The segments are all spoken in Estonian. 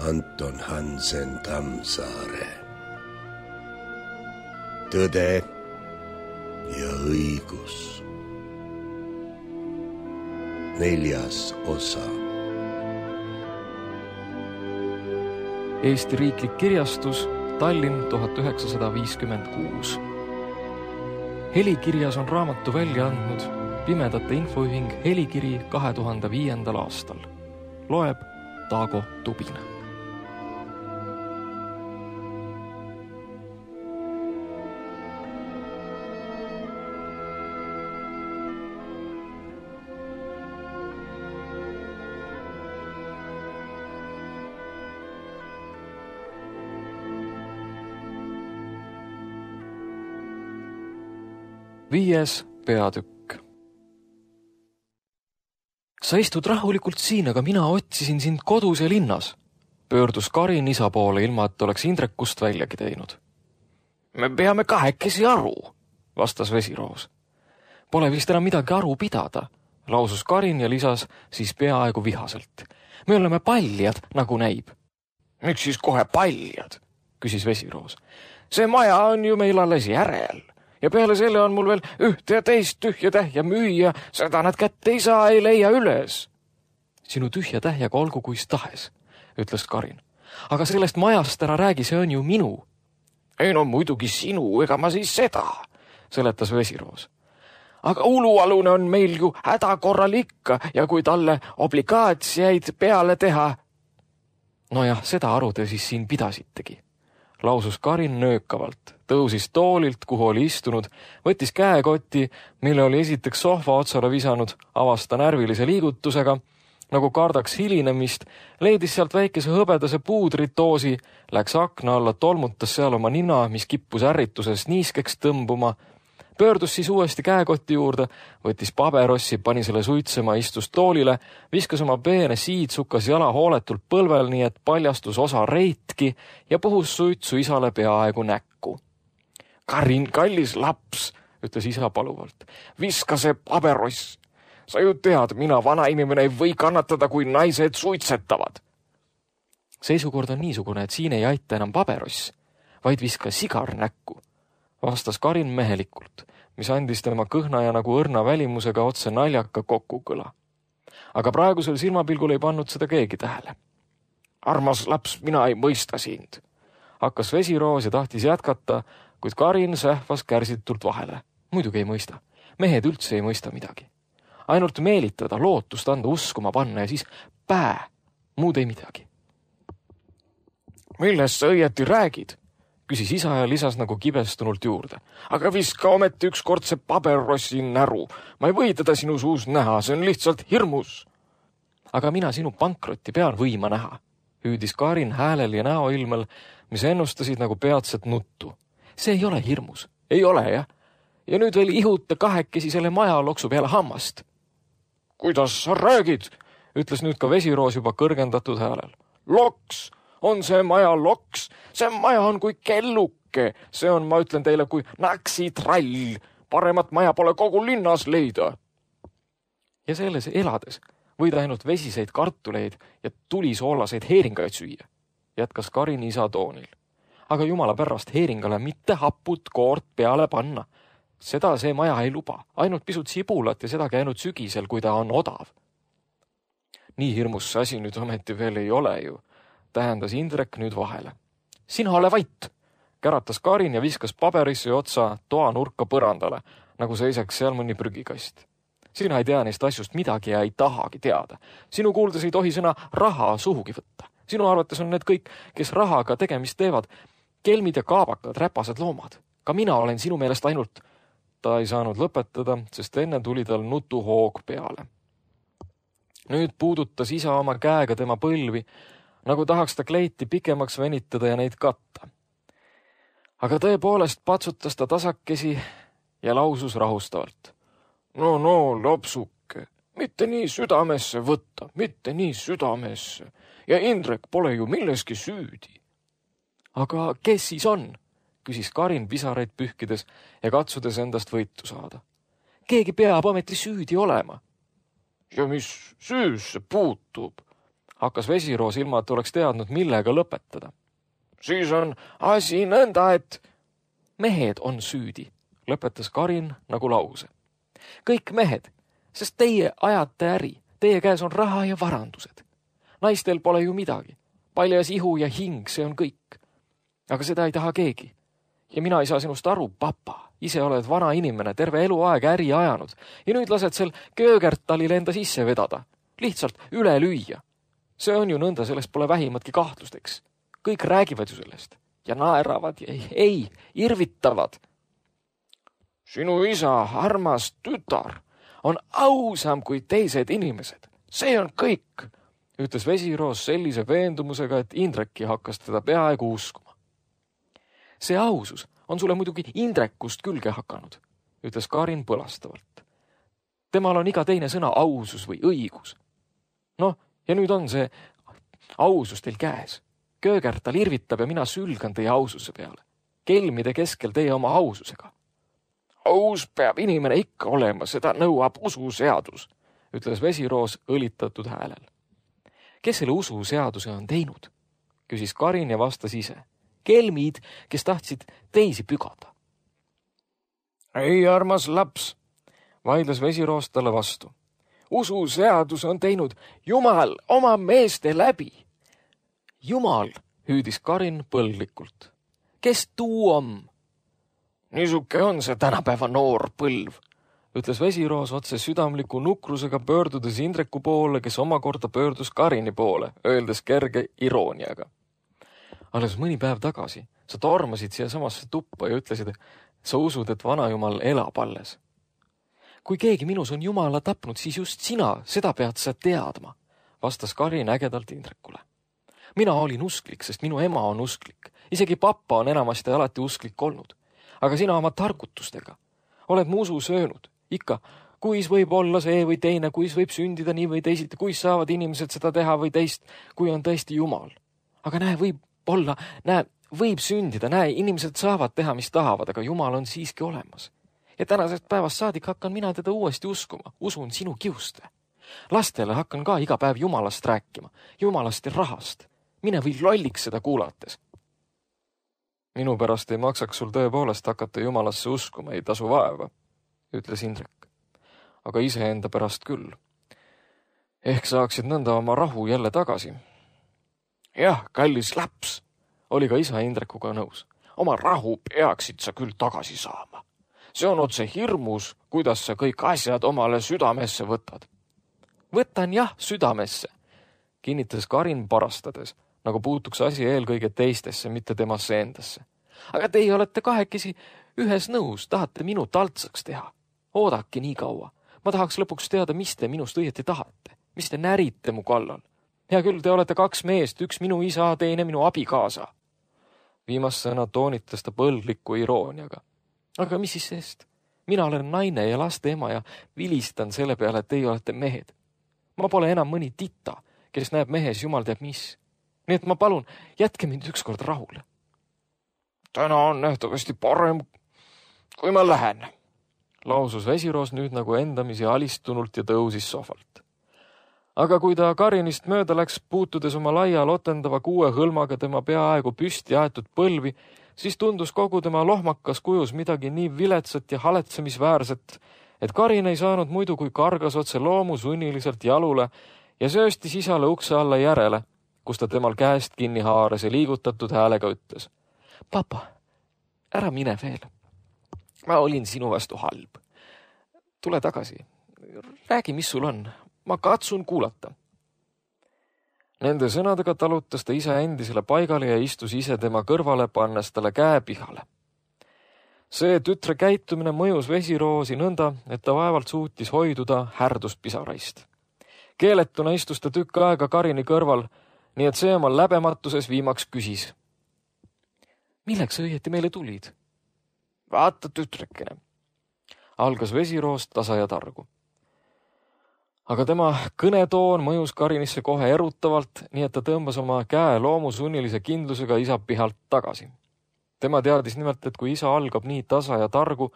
Anton Hansen Tammsaare. Tõde ja õigus. 4. osa. Eesti Riiklik Kirjastus, Tallinn 1956. Helikirjas on raamatu välja andnud Pimedate Infoühing Helikiri 2005. aastal. Loeb Taago Tubina. Viies peatükk. Sa istud rahulikult siin, aga mina otsisin sind kodus ja linnas. Pöördus Karin isa poole, ilma et oleks Indrekust väljagi teinud. Me peame kahekesi aru, vastas Vesiroos. Pole vist enam midagi aru pidada, lausus Karin ja lisas siis peaaegu vihaselt. Me oleme paljad, nagu näib. Miks siis kohe paljad, küsis Vesiroos. See maja on ju meil alles järel. Ja peale selle on mul veel ühte ja teist tühja tähja müüa, seda nad kätte ei saa, ei leia üles. Sinu tühja tähjaga olgu kuis tahes, ütles Karin. Aga sellest majast ära räägi, see on ju minu. Ei no muidugi sinu, ega ma siis seda, seletas Vesiroos. Aga ulualune on meil ju hädakorral ikka ja kui talle obligaatsiaid peale teha. Nojah, seda aru te siis siin pidasitegi. Lausus Karin nöökavalt, tõusis toolilt, kuhu oli istunud, võttis käekoti, mille oli esiteks sohva otsale visanud, avasta närvilise liigutusega, nagu kardaks hilinemist, leidis sealt väikese hõbedase puudritoosi, läks akna alla, tolmutas seal oma nina, mis kippus ärrituses niiskeks tõmbuma, pöördus siis uuesti käekoti juurde, võttis paberossi, pani selle suitsema, istus toolile, viskas oma peene siidsukas jala hooletult põlvel, nii et paljastus osa reitki ja puhus suitsu isale peaaegu näkku. Karin, kallis laps, ütles isa paluvalt, viska see pabeross. Sa ju tead, mina vana inimene ei või kannatada, kui naised suitsetavad. Seisukord on niisugune, et siin ei aita enam pabeross, vaid viska sigar näkku. Vastas Karin mehelikult, mis andis tema kõhna ja nagu õrna välimusega otse naljaka kokkukõla. Aga praegusel silmapilgul ei pannud seda keegi tähele. Armas laps, mina ei mõista sind. Hakkas Vesiroos ja tahtis jätkata, kuid Karin sähvas kärsitult vahele. Muidugi ei mõista. Mehed üldse ei mõista midagi. Ainult meelitada, lootust anda, uskuma panna ja siis muud ei midagi. Millest sa õieti räägid? Küsis isa ja lisas nagu kibestunult juurde. Aga viska ometi ükskord see paberrossi näru. Ma ei või teda sinu suus näha, see on lihtsalt hirmus. Aga mina sinu pankrotti pean võima näha, hüüdis Karin häälel ja näoilmel, mis ennustasid nagu peatset nuttu. See ei ole hirmus. Ei ole, jah. Ja nüüd veel ihuta kahekesi selle maja loksu peale hammast. Kuidas sa räägid? Ütles nüüd ka Vesiroos juba kõrgendatud häälel. Loks! On see maja loks, see maja on kui kelluke, see on, ma ütlen teile, kui naksitrall, paremat maja pole kogu linnas leida. Ja selles elades võid ainult vesiseid kartuleid ja tulisoolaseid heeringaid süüa, jätkas Karin isa toonil. Aga jumala pärast heeringale mitte haput koort peale panna. Seda see maja ei luba, ainult pisut sibulat ja seda käinud sügisel, kui ta on odav. Nii hirmus see asi nüüd ometi veel ei ole ju. Tähendas Indrek nüüd vahele. Sina ole vait, käratas Karin ja viskas paberisse otsa toa nurka põrandale, nagu seisaks seal mõni prügikast. Sina ei tea neist asjust midagi ja ei tahagi teada. Sinu kuuldes ei tohi sõna raha suhugi võtta. Sinu arvates on need kõik, kes rahaga tegemist teevad, kelmid ja kaabakad, räpased loomad. Ka mina olen sinu meelest ainult... Ta ei saanud lõpetada, sest enne tuli tal nutuhoog peale. Nüüd puudutas isa oma käega tema põlvi, nagu tahaks ta kleiti pikemaks venitada ja neid katta. Aga tõepoolest patsutas ta tasakesi ja lausus rahustavalt. No, lopsuke, mitte nii südamesse võtta, mitte nii südamesse. Ja Indrek pole ju milleski süüdi. Aga kes siis on? Küsis Karin pisaraid pühkides ja katsudes endast võitu saada. Keegi peab ometi süüdi olema. Ja mis süüsse puutub? Hakkas Vesiroos ilma, et oleks teadnud, millega lõpetada. Siis on asi nõnda, et mehed on süüdi, lõpetas Karin nagu lause. Kõik mehed, sest teie ajate äri, teie käes on raha ja varandused. Naistel pole ju midagi. Paljas ihu ja hing, see on kõik. Aga seda ei taha keegi. Ja mina ei saa sinust aru, papa. Ise oled vana inimene, terve eluaeg äri ajanud ja nüüd lased sel Köögertalil enda sisse vedada. Lihtsalt üle lüüa. See on ju nõnda, sellest pole vähimatki kahtlusteks. Kõik räägivad ju sellest ja naeravad ja ei, irvitavad. Sinu isa, armas tütar, on ausam kui teised inimesed. See on kõik, ütles Vesiroos sellise veendumusega, et Indreki hakkas teda peaaegu uskuma. See ausus on sulle muidugi Indrekust külge hakanud, ütles Karin põlastavalt. Temal on iga teine sõna ausus või õigus. Noh, ja nüüd on see ausus teil käes. Köögertal irvitab ja mina sülgan teie aususe peale. Kelmide keskel teie oma aususega. Aus peab inimene ikka olema, seda nõuab ususeadus, ütles Vesiroos õlitatud häälel. Kes selle ususeaduse on teinud? Küsis Karin ja vastas ise. Kelmid, kes tahtsid teisi pügada. Ei, armas laps, vaidles Vesiroos talle vastu. Ususeadus on teinud Jumal oma meeste läbi. Jumal, hüüdis Karin põlglikult. Kes tuu on? Niisuke on see tänapäeva noor põlv, ütles Vesiroos otse südamliku nukrusega pöördudes Indreku poole, kes omakorda pöördus Karini poole, öeldes kerge irooniaga. Alles mõni päev tagasi sa tormasid siia samasse tuppa ja ütlesid, sa usud, et vanajumal elab alles. Kui keegi minus on Jumala tapnud, siis just sina, seda pead sa teadma, vastas Karin ägedalt Indrekule. Mina olin usklik, sest minu ema on usklik. Isegi papa on enamasti alati usklik olnud. Aga sina oma targutustega oled mu usu söönud. Ikka, kuis võib olla see või teine, kuis võib sündida nii või teisiti, kuis saavad inimesed seda teha või teist, kui on tõesti Jumal. Aga võib sündida, inimesed saavad teha, mis tahavad, aga Jumal on siiski olemas. Ja tänasest päevast saadik hakkan mina teda uuesti uskuma. Usun sinu kiuste. Lastele hakkan ka iga päev Jumalast rääkima. Jumalast ja rahast. Mine või lolliks seda kuulates. Minu pärast ei maksaks sul tõepoolest hakata Jumalasse uskuma, ei tasu vaeva, ütles Indrek. Aga iseenda pärast küll. Ehk saaksid nõnda oma rahu jälle tagasi. Jah, kallis laps, oli ka isa Indrekuga nõus. Oma rahu peaksid sa küll tagasi saama. See on otse hirmus, kuidas sa kõik asjad omale südamesse võtad. Võtan jah südamesse, kinnitas Karin parastades, nagu puutuks asi eelkõige teistesse, mitte temasse endasse. Aga teie olete kahekesi ühes nõus, tahate minu taltsaks teha. Oodake nii kaua. Ma tahaks lõpuks teada, mis te minust õieti tahate. Mis te närite mu kallal. Hea küll, te olete kaks meest, üks minu isa, teine minu abikaasa. Viimast sõna toonitas ta põlgliku irooniaga. Aga mis siis sest? Mina olen naine ja laste ema ja vilistan selle peale, et teie olete mehed. Ma pole enam mõni tita, kes näeb mehes jumal teab mis. Nii et ma palun, jätke mind ükskord rahule. Täna on nähtavasti parem, kui ma lähen, lausus Vesiroos nüüd nagu endamisi alistunult ja tõusis sohvalt. Aga kui ta Karinist mööda läks, puutudes oma laia lotendava 6 hõlmaga tema peaaegu püsti aetud põlvi, siis tundus kogu tema lohmakas kujus midagi nii viletsat ja haletsemisväärset, et Karin ei saanud muidu kui kargas otse loomu sunniliselt jalule ja sööstis isale ukse alla järele, kus ta temal käest kinni haaras ja liigutatud häälega ütles. Papa, ära mine veel. Ma olin sinu vastu halb. Tule tagasi. Räägi, mis sul on. Ma katsun kuulata. Nende sõnadega talutas ta isa endisele paigale ja istus ise tema kõrvale, pannes talle käe pihale. See tütre käitumine mõjus Vesiroosi nõnda, et ta vaevalt suutis hoiduda härduspisaraist. Keeletuna istus ta tükk aega Karini kõrval, nii et see oma läbematuses viimaks küsis. Milleks õieti meile tulid? Vaata, tütrekene, algas Vesiroos tasa ja targu. Aga tema kõnetoon mõjus Karinisse kohe erutavalt, nii et ta tõmbas oma käe loomu sunnilise kindlusega isa pihalt tagasi. Tema teadis nimelt, et kui isa algab nii tasa ja targu,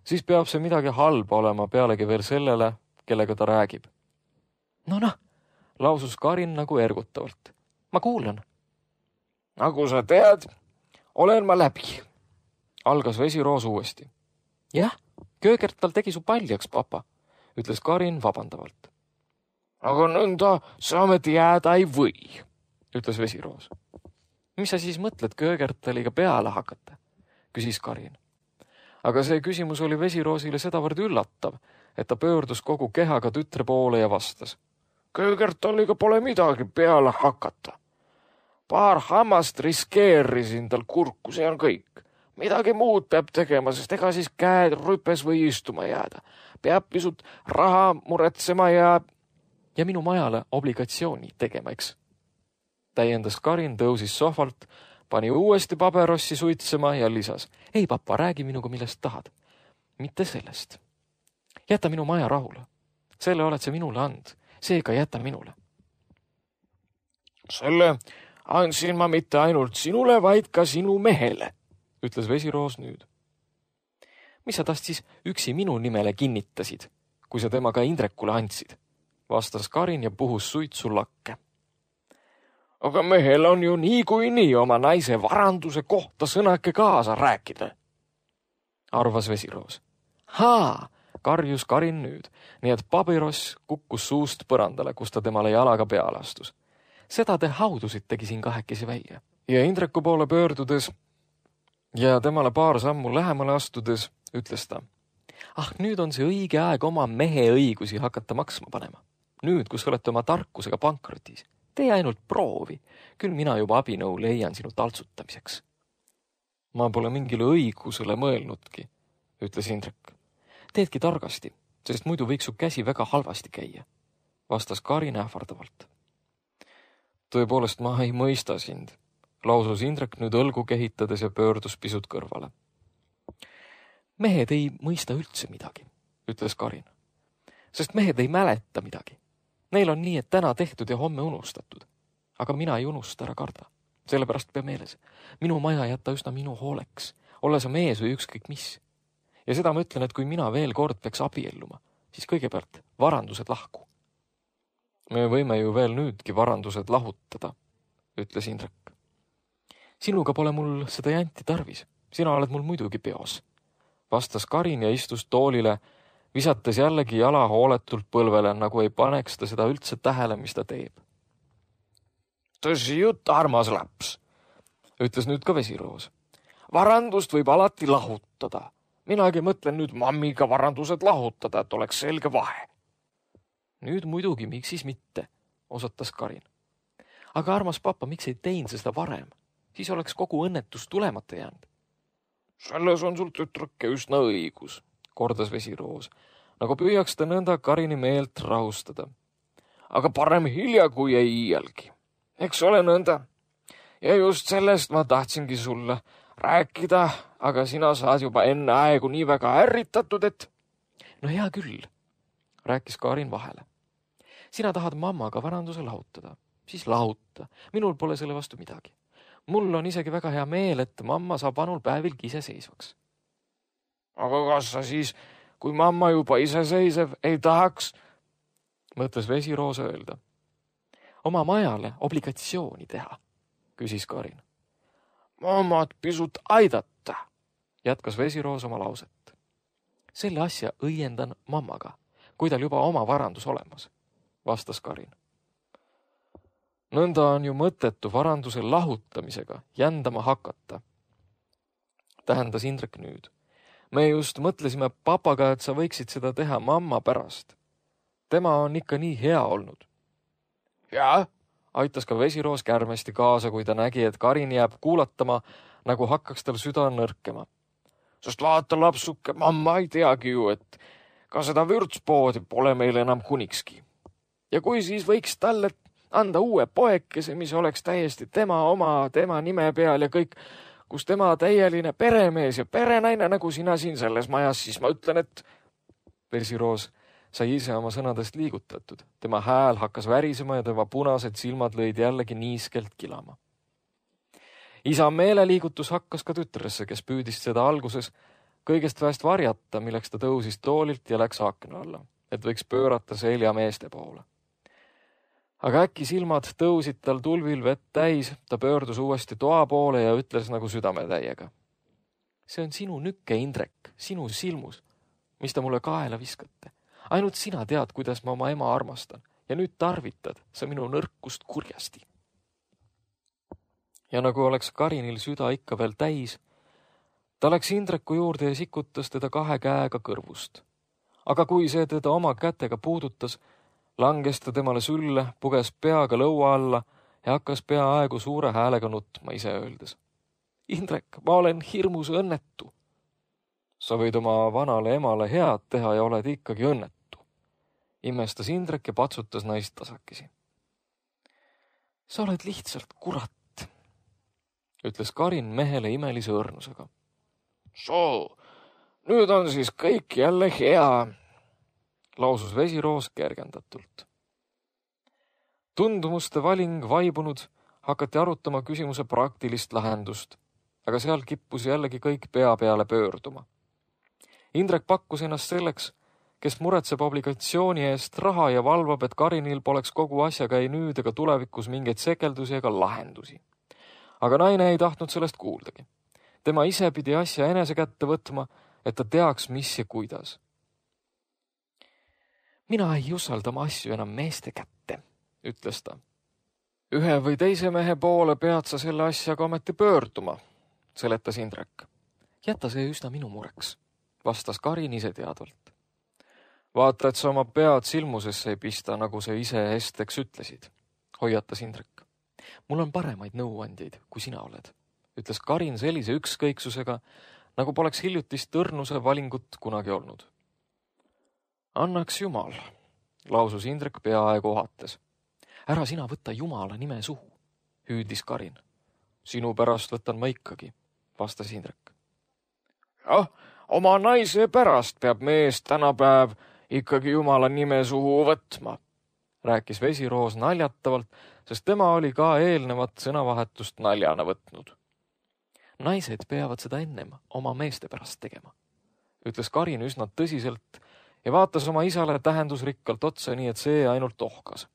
siis peab see midagi halba olema pealegi veel sellele, kellega ta räägib. No, lausus Karin nagu ergutavalt. Ma kuulan. Nagu sa tead, olen ma läbi. Algas Vesiroos uuesti. Jah, Köögert tal tegi su paljaks, papa, ütles Karin vabandavalt. Aga nõnda sa amet jääda ei või, ütles Vesiroos. Mis sa siis mõtled Köögertaliga peale hakata, küsis Karin. Aga see küsimus oli Vesiroosile sedavõrd üllatav, et ta pöördus kogu kehaga tütre poole ja vastas. Köögertaliga pole midagi peale hakata. Paar hammast riskeerisin tal kurku, see on kõik. Midagi muud peab tegema, sest ega siis käed rüpes või istuma jääda. Peab pisut raha muretsema ja minu majale obligatsiooni tegema, eks. Täiendas Karin, tõusis sohvalt, pani uuesti paberossi suitsema ja lisas. Ei, papa, räägi minuga, millest tahad. Mitte sellest. Jäta minu maja rahule. Selle oled sa minule and. Seega jäta minule. Selle andsin ma mitte ainult sinule, vaid ka sinu mehele, ütles Vesiroos nüüd. Mis sa tast siis üksi minu nimele kinnitasid, kui sa temaga Indrekule andsid? Vastas Karin ja puhus suitsu lakke. Aga mehel on ju niikuinii oma naise varanduse kohta sõnake kaasa rääkida, arvas Vesiroos. Haa, karjus Karin nüüd, nii et pabiross kukkus suust põrandale, kus ta temale jalaga peale astus. Seda te haudusitegi siin kahekesi välja. Ja Indreku poole pöördudes ja temale paar sammu lähemale astudes ütles ta. Nüüd on see õige aeg oma mehe õigusi hakata maksma panema. Nüüd, kus olete oma tarkusega pankrotis. Tee ainult proovi. Küll mina juba abinõu leian sinu taltsutamiseks. Ma pole mingile õigusele mõelnudki, ütles Indrek. Teedki targasti, sest muidu võiks su käsi väga halvasti käia, vastas Karin ähvardavalt. Tõepoolest, ma ei mõista sind, lausus Indrek nüüd õlgu kehitades ja pöördus pisut kõrvale. Mehed ei mõista üldse midagi, ütles Karin, sest mehed ei mäleta midagi. Neil on nii, et täna tehtud ja homme unustatud. Aga mina ei unusta, ära karda. Sellepärast pea meeles. Minu maja jätta üsna minu hooleks, olla sa mees või ükskõik mis. Ja seda ma ütlen, et kui mina veel kord peaks abielluma, siis kõigepealt varandused lahku. Me võime ju veel nüüdki varandused lahutada, ütles Indrek. Sinuga pole mul seda janti tarvis. Sina oled mul muidugi peos, vastas Karin ja istus toolile, visates jällegi jala hooletult põlvele, nagu ei paneks ta seda üldse tähele, mis ta teeb. Tõsi jutt, armas laps, ütles nüüd ka Vesiroos. Varandust võib alati lahutada. Minagi mõtlen nüüd mammiga varandused lahutada, et oleks selge vahe. Nüüd muidugi, miks siis mitte, osatas Karin. Aga armas papa, miks ei teinud seda varem? Siis oleks kogu õnnetus tulemata jäänud. Selles on sul tütrake üsna õigus, kordas Vesiroos, nagu püüaks ta nõnda Karini meelt rahustada. Aga parem hilja, kui ei iialgi. Eks ole nõnda. Ja just sellest ma tahtsingi sulle rääkida, aga sina saad juba enne aegu nii väga ärritatud, et... No hea küll, rääkis Karin vahele. Sina tahad mammaga varanduse lahutada, siis lahuta. Minul pole selle vastu midagi. Mul on isegi väga hea meel, et mamma saab vanul päevilgi iseseisvaks. Aga kas sa siis, kui mamma juba iseseisev, ei tahaks, mõtles Vesiroos öelda. Oma majale obligatsiooni teha, küsis Karin. Mammat pisut aidata, jätkas Vesiroos oma lauset. Selle asja õiendan mammaga, kui tal juba oma varandus olemas, vastas Karin. Nõnda on ju mõttetu varanduse lahutamisega jändama hakata, tähendas Indrek nüüd. Me just mõtlesime papaga, et sa võiksid seda teha mamma pärast. Tema on ikka nii hea olnud. Jaa, aitas ka Vesiroos kärmesti kaasa, kui ta nägi, et Karin jääb kuulatama, nagu hakkaks tal süda nõrkema. Sest vaata lapsuke, mamma ei teagi ju, et ka seda vürtspoodi pole meil enam kunikski. Ja kui siis võiks talle anda uue poekese, mis oleks täiesti tema oma, tema nime peal ja kõik, kus tema täieline peremees ja perenaine, nagu sina siin selles majas, siis ma ütlen, et... Vesiroos sai ise oma sõnadest liigutatud. Tema hääl hakkas värisema ja tema punased silmad lõid jällegi niiskelt kilama. Isa meeleliigutus hakkas ka tütresse, kes püüdis seda alguses kõigest väest varjata, milleks ta tõusis toolilt ja läks akna alla, et võiks pöörata selja meeste poole. Aga äkki silmad tõusid tal tulvil vett täis, ta pöördus uuesti toa poole ja ütles nagu südametäiega. See on sinu nükke, Indrek, sinu silmus, mis ta mulle kaela viskate. Ainult sina tead, kuidas ma oma ema armastan ja nüüd tarvitad sa minu nõrkust kurjasti. Ja nagu oleks Karinil süda ikka veel täis, ta läks Indreku juurde ja sikutas teda 2 käega kõrvust. Aga kui see teda oma kätega puudutas, langes ta temale sülle, puges peaga lõua alla ja hakkas peaaegu suure häälega nutma ise öeldes. Indrek, ma olen hirmus õnnetu. Sa võid oma vanale emale head teha ja oled ikkagi õnnetu. Imestas Indrek ja patsutas naist tasakesi. Sa oled lihtsalt kurat, ütles Karin mehele imelise õrnusega. Soo, nüüd on siis kõik jälle hea, lausus Vesiroos kergendatult. Tundumuste valing vaibunud, hakati arutama küsimuse praktilist lahendust, aga seal kippus jällegi kõik pea peale pöörduma. Indrek pakkus ennast selleks, kes muretseb obligatsiooni eest raha ja valvab, et Karinil poleks kogu asjaga ei nüüd ega tulevikus mingeid sekeldusi ega lahendusi. Aga naine ei tahtnud sellest kuuldagi. Tema ise pidi asja enese kätte võtma, et ta teaks, mis ja kuidas. Mina ei usalda oma asju enam meeste kätte, ütles ta. Ühe või teise mehe poole pead sa selle asjaga ometi pöörduma, seletas Indrek. Jäta see üsna minu mureks, vastas Karin ise teadvalt. Vaata, et sa oma pead silmusesse ei pista, nagu sa ise esteks ütlesid, hoiatas Indrek. Mul on paremaid nõuandjaid, kui sina oled, ütles Karin sellise ükskõiksusega, nagu poleks hiljutist õrnuse valingut kunagi olnud. Annaks Jumal, lausus Indrek peaaegu ohates. Ära sina võtta Jumala nime suhu, hüüdis Karin. Sinu pärast võtan ma ikkagi, vastas Indrek. Jah, oma naise pärast peab mees tänapäev ikkagi Jumala nime suhu võtma, rääkis Vesiroos naljatavalt, sest tema oli ka eelnevat sõnavahetust naljana võtnud. Naised peavad seda ennem oma meeste pärast tegema, ütles Karin üsna tõsiselt ja vaatas oma isale tähendusrikkalt otsa, nii et see ainult ohkas.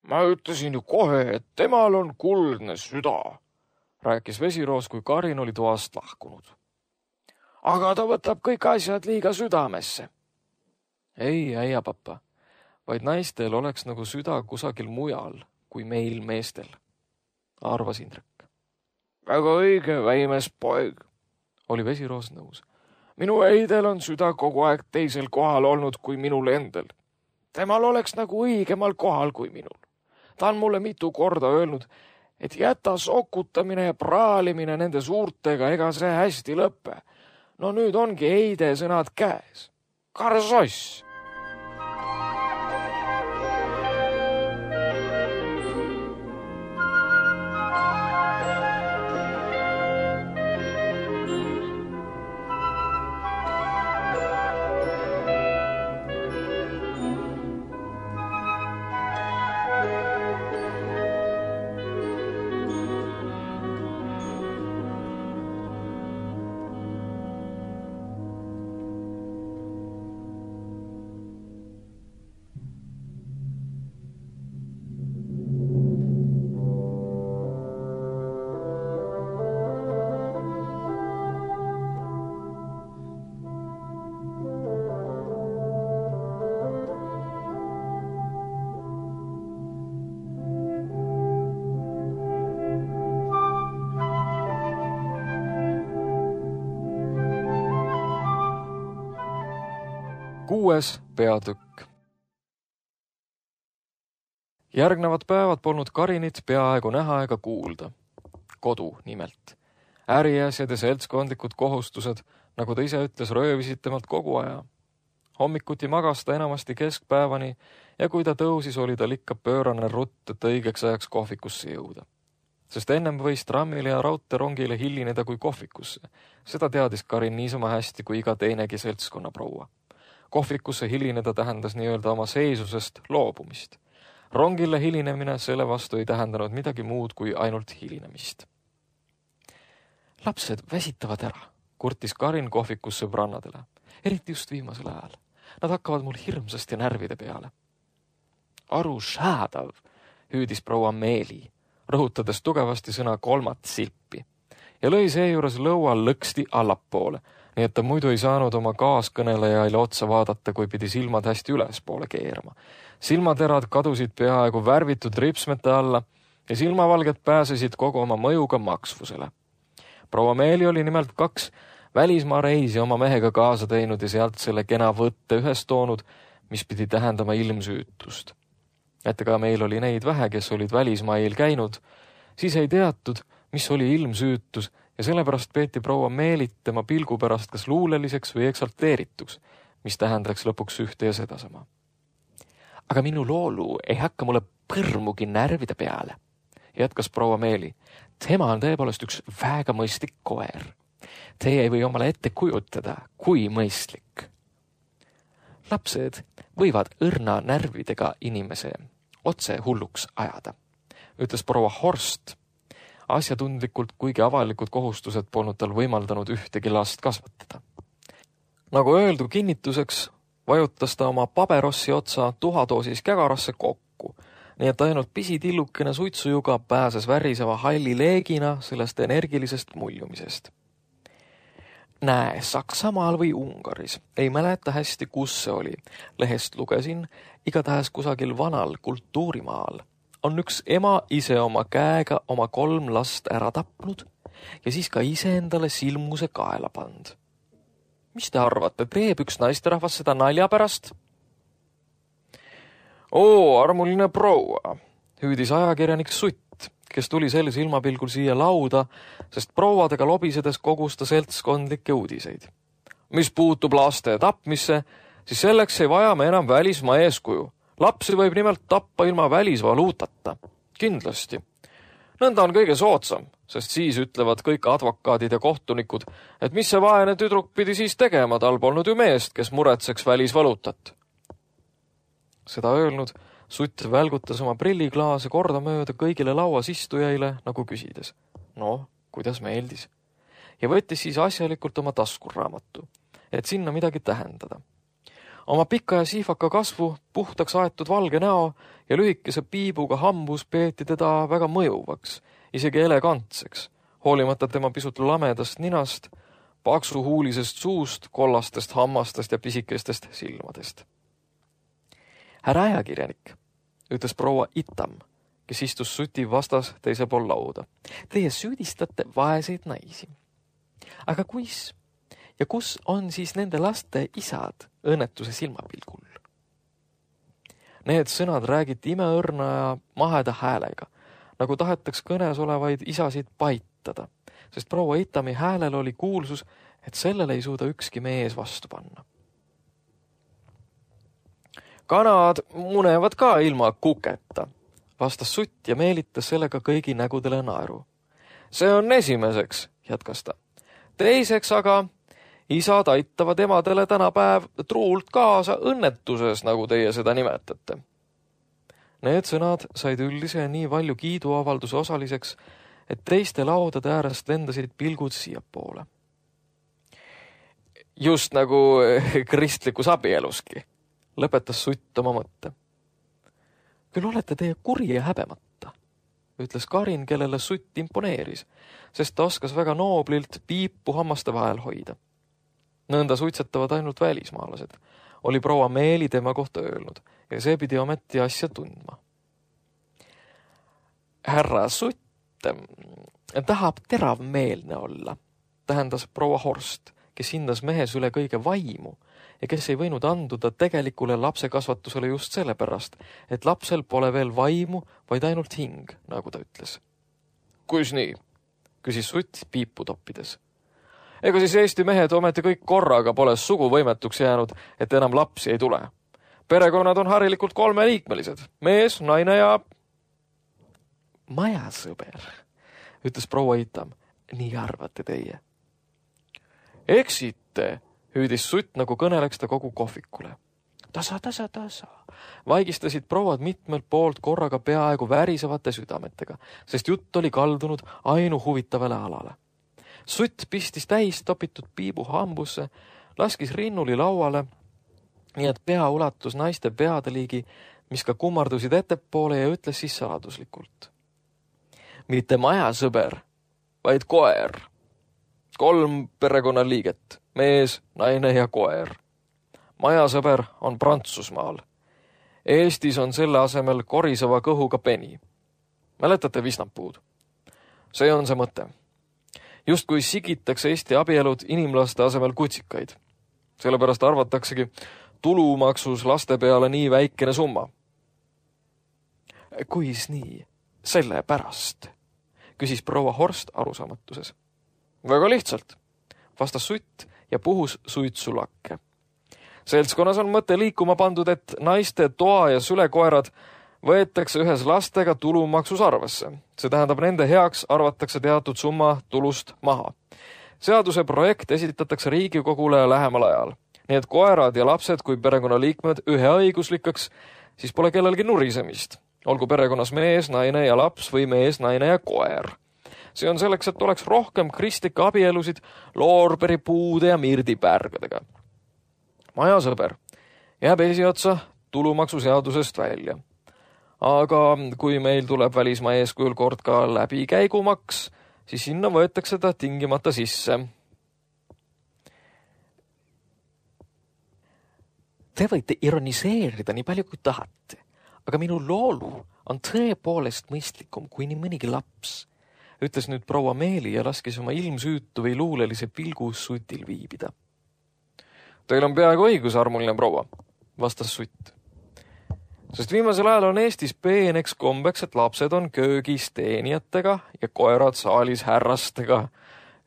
Ma ütlesin ju kohe, et temal on kuldne süda, rääkis Vesiroos, kui Karin oli toast lahkunud. Aga ta võtab kõik asjad liiga südamesse. Ei, äia papa, vaid naistel oleks nagu süda kusagil mujal kui meil meestel, arvas Indrek. Väga õige, väimes poeg, oli Vesiroos nõus. Minu eidel on süda kogu aeg teisel kohal olnud kui minul endel. Temal oleks nagu õigemal kohal kui minul. Ta on mulle mitu korda öelnud, et jäta sokutamine ja praalimine nende suurtega, ega see hästi lõppe. No nüüd ongi eide sõnad käes. Karsoss! Kuues peatükk. Järgnevad päevad polnud Karinit peaaegu näha ega kuulda. Kodu nimelt. Äriasjad ja seltskondlikud kohustused, nagu ta ise ütles, röövisid temalt kogu aja. Hommikuti magas ta enamasti keskpäevani ja kui ta tõusis, oli tal ikka pöörane rutt, et õigeks ajaks kohvikusse jõuda. Sest ennem võis trammile ja raudteerongile hilineda kui kohvikusse. Seda teadis Karin niisama hästi kui iga teinegi seltskonna proua. Kohvikusse hilineda tähendas nii-öelda oma seisusest loobumist. Rongile hilinemine selle vastu ei tähendanud midagi muud kui ainult hilinemist. Lapsed väsitavad ära, kurtis Karin kohvikus sõbrannadele, eriti just viimasel ajal. Nad hakkavad mul hirmsasti närvide peale. Arusaadav, hüüdis proua Meeli, rõhutades tugevasti sõna kolmat silpi ja lõi seejuures lõual lõksti allapoole, nii et ta muidu ei saanud oma kaaskõnelejaile otsa vaadata, kui pidi silmad hästi ülespoole keerama. Silmaterad kadusid peaaegu värvitud ripsmete alla ja silmavalged pääsesid kogu oma mõjuga maksvusele. Proua Meeli oli nimelt 2 välismaa reisi oma mehega kaasa teinud ja sealt selle kena võtte ühes toonud, mis pidi tähendama ilmsüütust. Et aga meil oli neid vähe, kes olid välismail käinud, siis ei teatud, mis oli ilmsüütus ja sellepärast peeti proua Meelit tema pilgu pärast kas luuleliseks või eksalteerituks, mis tähendaks lõpuks ühte ja sedasama. Aga minu loolu ei hakka mulle põrmugi närvide peale, jätkas proua Meeli. Tema on tõepoolest üks väga mõistlik koer. Teie ei või omale ette kujutada, kui mõistlik. Lapsed võivad õrna närvidega inimese otse hulluks ajada, ütles proua Horst. Asjatundlikult, kuigi avalikud kohustused polnud tal võimaldanud ühtegi last kasvatada. Nagu öeldu kinnituseks, vajutas ta oma paberossi otsa tuhadoosis kägarasse kokku, nii et ainult pisitillukene suitsujuga pääses väriseva halli leegina sellest energilisest muljumisest. Näe, Saksamaal või Ungaris, ei mäleta hästi, kus see oli. Lehest lugesin, igatahes kusagil vanal kultuurimaal on üks ema ise oma käega oma 3 last ära tapnud ja siis ka ise endale silmuse kaela pand. Mis te arvate, teeb üks naisterahvas seda nalja pärast? Oo, armuline proua, hüüdis ajakirjanik Sutt, kes tuli sel silmapilgul siia lauda, sest prouadega lobisedes kogus ta seltskondlikke uudiseid. Mis puutub laste tapmisse, siis selleks ei vaja me enam välismaa eeskuju. Lapsi võib nimelt tappa ilma välisvaluutata. Kindlasti. Nõnda on kõige soodsam, sest siis ütlevad kõik advokaadid ja kohtunikud, et mis see vaene tüdruk pidi siis tegema, tal polnud ju meest, kes muretseks välisvaluutat. Seda öelnud, Sutt välgutas oma prilliklaase kordamööda kõigile lauas istujaile, nagu küsides. No, kuidas meeldis? Ja võttis siis asjalikult oma taskurraamatu, et sinna midagi tähendada. Oma pika ja siifaka kasvu, puhtaks aetud valge näo ja lühikese piibuga hambus peeti teda väga mõjuvaks, isegi elegantseks, hoolimata tema pisut lamedast ninast, paksuhuulisest suust, kollastest hammastest ja pisikestest silmadest. Härra ajakirjanik, ütles proua Itam, kes istus Suti vastas teise pool lauda. Teie süüdistate vaeseid naisi. Aga kus on siis nende laste isad õnnetuse silmapilgul? Need sõnad räägiti imeõrna ja maheda häälega, nagu tahetaks kõnes olevaid isasid paitada, sest proua Itami häälel oli kuulsus, et sellele ei suuda ükski mees vastu panna. Kanad munevad ka ilma kuketa, vastas Sutt ja meelitas sellega kõigi nägudele naeru. See on esimeseks, jätkas ta. Teiseks aga isad aitavad emadele tänapäev truult kaasa õnnetuses, nagu teie seda nimetate. Need sõnad said üldise nii palju kiiduavalduse osaliseks, et teiste laudade äärest lendasid pilgud siiapoole. Just nagu kristlikus abieluski, lõpetas Sutt oma mõtte. Küll olete teie kuri ja häbemata, ütles Karin, kellele Sutt imponeeris, sest ta oskas väga nooblilt piipu hammaste vahel hoida. Nõnda suitsetavad ainult välismaalased, oli proua Meeli tema kohta öelnud, ja see pidi ometi asja tundma. Härra Sutt tahab teravmeelne olla, tähendas proua Horst, kes hindas mehes üle kõige vaimu ja kes ei võinud anduda tegelikule lapsekasvatusele just sellepärast, et lapsel pole veel vaimu, vaid ainult hing, nagu ta ütles. Kus nii? Küsis Sutt piipu toppides. Ega siis Eesti mehed ometi kõik korraga pole suguvõimetuks jäänud, et enam lapsi ei tule. Perekonnad on harilikult 3-liikmelised, mees, naine ja... Majasõber, ütles proua Itam, nii arvate teie. Eksite, hüüdis Sutt, nagu kõneleks ta kogu kohvikule. Tasa. Vaigistasid prouad mitmelt poolt korraga peaaegu värisevate südametega, sest jutt oli kaldunud ainu huvitavale alale. Sutt pistis täis topitud piibu hambusse, laskis rinnuli lauale, nii et pea ulatus naiste peade liigi, mis ka kummardusid ettepoole ja ütles siis saladuslikult. Mitte majasõber, vaid koer. 3 perekonnaliiget, mees, naine ja koer. Majasõber on Prantsusmaal. Eestis on selle asemel koriseva kõhuga peni. Mäletate visnapuud? See on see mõte. Just kui sigitakse Eesti abielud inimlaste asemel kutsikaid. Sellepärast arvataksegi tulumaksus laste peale nii väikene summa. Kuis nii? Sellepärast, küsis proua Horst arusaamatuses. Väga lihtsalt, vastas Sutt ja puhus suitsulakke. Seltskonnas on mõte liikuma pandud, et naiste toa ja sülekoerad võetakse ühes lastega tulumaksus arvesse. See tähendab, nende heaks arvatakse teatud summa tulust maha. Seaduse projekt esitatakse Riigikogule lähemal ajal. Nii et koerad ja lapsed kui perekonnaliikmed üheõiguslikaks, siis pole kellelgi nurisemist. Olgu perekonnas mees, naine ja laps või mees, naine ja koer. See on selleks, et oleks rohkem kristlikke abielusid loorperipuude ja mirdipärgadega. Majasõber jääb esiotsa tulumaksuseadusest välja. Aga kui meil tuleb välismaa eeskujul kord ka läbikäigumaks, siis sinna võetakse ta tingimata sisse. Te võite ironiseerida nii palju kui tahate, aga minu loolu on tõepoolest mõistlikum kui nii mõnigi laps, ütles nüüd proua Meeli ja laskis oma ilmsüütu või luulelise pilgu Sutil viibida. Teil on peaaegu õigus, armuline proua, vastas Sutt. Sest viimasel ajal on Eestis peeneks kombeks, et lapsed on köögis teenijatega ja koerad saalis härrastega.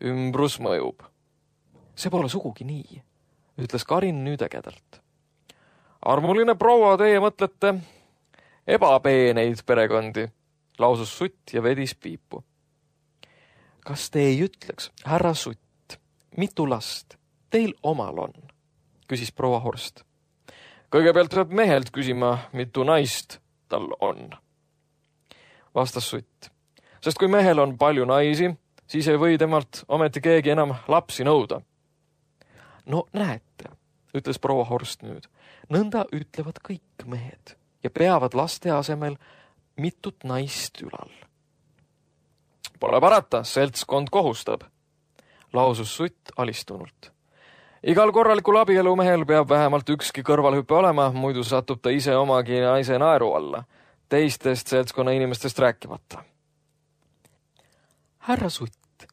Ümbrus mõjub. See pole sugugi nii, ütles Karin nüüd ägedalt. Armuline proua, teie mõtlete ebapeeneid perekondi, lausus Sutt ja vedis piipu. Kas te ei ütleks, härra Sutt, mitu last teil omal on? Küsis proua Horst. Kõigepealt peab mehelt küsima, mitu naist tal on. Vastas Sutt. Sest kui mehel on palju naisi, siis ei või temalt ometi keegi enam lapsi nõuda. No näete, ütles proua Horst nüüd. Nõnda ütlevad kõik mehed ja peavad laste asemel mitut naist ülal. Pole parata, seltskond kohustab, lausus Sutt alistunult. Igal korralikul abielumehel peab vähemalt ükski kõrvalhüpe olema, muidu satub ta ise omagi naise naeru alla, teistest seltskonna inimestest rääkimata. Härra Sutt,